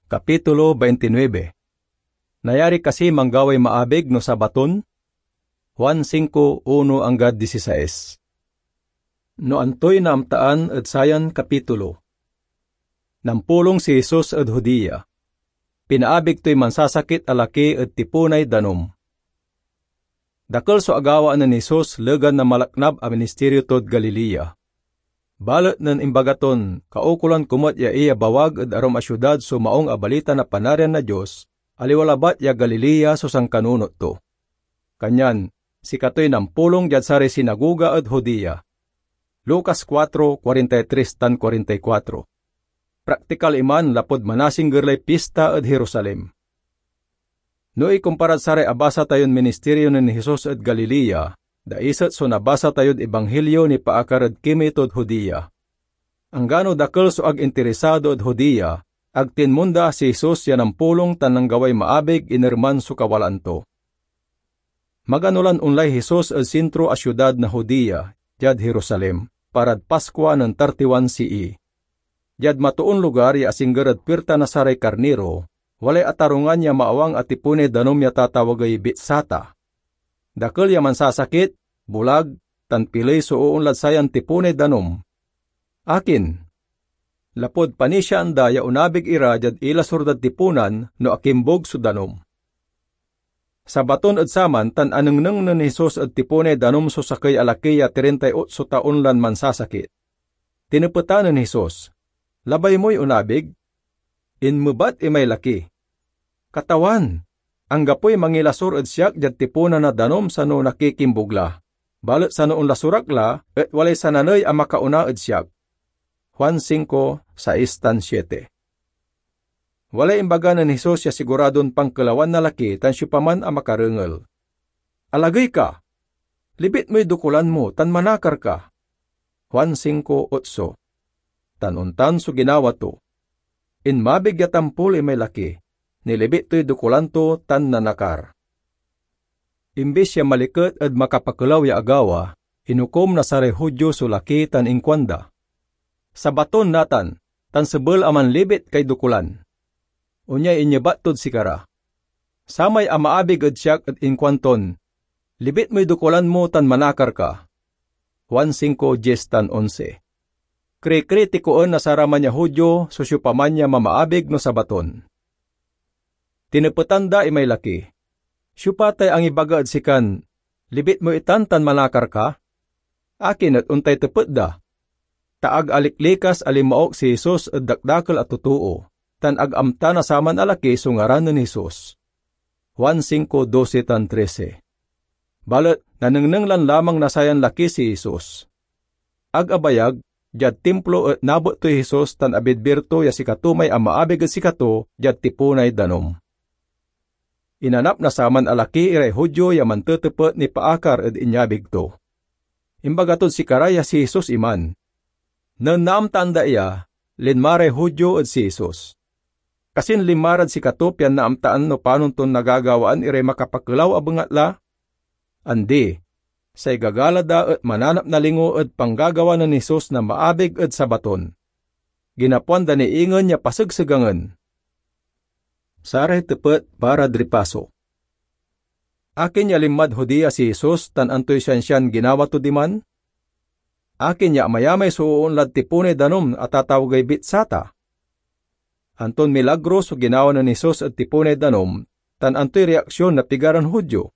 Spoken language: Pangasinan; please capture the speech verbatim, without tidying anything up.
Kapitulo veintinuebe. Nayari kasi manggaway maabig no Sabaton? Juan singko, uno anggad disisais. No antoy naamtaan ed sayan kapitulo? Nampulong si Jesus ed Judea. Pinaabig toy mansasakit a laki ed tipunay danum. Dakel so agawaan nen Jesus legan na malaknab a ministerio tod Galilea. Balet nen imbaga ton kaukolan ko met ya iyabawag ed arum a siudad so Maung a Balita na Panarian na Dios, aliwa labat ya Galilea so sankanunot to. Kanyan, sikatoy nampulong diad saray sinagoga ed Judea. Lucas kuatro, kuarenta y tres tan kuarenta y kuatro. Praktikal iman lapud manasingger lay pista ed Jerusalem. No ikomparad saray abasa tayon ministerio nen Jesus ed Galilea, daiset so nabasa tayod Ebanghelio nipaakar ed kimey tod Judea. Anggano dakel so ag interesado ed Judea, ag tinmonda si Jesus ya nampulong tan nanggaway maabig inerman so kawalaan to. Magano lan onlay Jesus ed sintro a siudad na Judea, diad Jerusalem, parad Paskua nen tartiwan C E. Diad matoon lugar ya asingger ed puirta na saray karniro, walay atarungan ya maawang a tipunay danum ya tatawagey Betsata. Dakel ya mansasakit, bulag, tan piley so oonlad sayan tipunay danum. Akin? Lapud panisiaan da ya onabig ira diad ilasor dad tipunan no akimbug so danum. Sabaton ed saman tan anengneng nen Jesus ed tipunay danum so sakey a laki ya trintay otso taon lan mansasakit. Tinepetan nen Jesus, "Labay moy onabig?" Inmebat imay laki, "Katawan, anggapoy mangilasor ed siak diad tipunan na danum sano nakikimbug la, balet sano onlasor ak la et walay sananey a makaona ed siak." Juan singko, sais tan siete. Walay imbaga nen Jesus ya siguradon pankelawan na laki tan siopaman a makarengel. "Alagey ka! Libit moy dokulan mo tan manakar ka." Juan singko otso. Tan ontan so ginawa to. Inmabig ya tampol imay laki, nilibit toy dokulan to tan nanakar. Imbis ya maliket ed makapakelaw ya agawa, inukom na saray Judio so laki tan inkuanda, "Sabaton natan, tan sebel a manlibit kay dokulan." Onyay inyebat tod sikara, "Samay amaabig ed siak et inkuanton, 'Libit moy dokulan mo tan manakar ka.'" Juan singko, dies tan onse. Krikritikoen na saraman ya Judio so siopaman ya mamaabig no Sabaton. Tinepetan da imay laki, "Siopa tay angibaga ed sikan, 'Libit mo itan tan manakar ka'? Akin et ontay tepet da?" Ta ag aliklikas a linmaok si Jesus ed dakdakel a totoo, tan ag amta na saman a laki so ngaran nen Jesus. Juan singko, dose tan trese. Balet nanengneng lan lamang na sayan laki si Jesus. Ag abayag, diad Timplo et nabet toy Jesus tan abidbir to ya sikato may amaabig ed sikato diad tipunay danum. Inanap na saman a laki iray Judio ya mantetepet nipaakar ed inyabig to. Imbaga tod sikara ya si Jesus iman. Nen naamtaan da iya, linma ray Judio ed si Jesus. Kasin linma rad sikato pian naamtaan no panon ton nagagawaan iray makapakelaw a bengatla? Andi. Say gagala da et mananap na lingo ed panggagawa nen Jesus na maabig ed Sabaton. Ginapoan da ni ingen ya pasegsegangen. Saray tepet para ed ripaso. Akin ya linmad Judea si Jesus tan antoy siansian ginawa to diman? Akin ya amayamay so oonlad tipunay danum a tatawagey Betsata? Anton milagro so ginawa nen Jesus ed tipunay danum, tan antoy reaksion na pigaran Judio?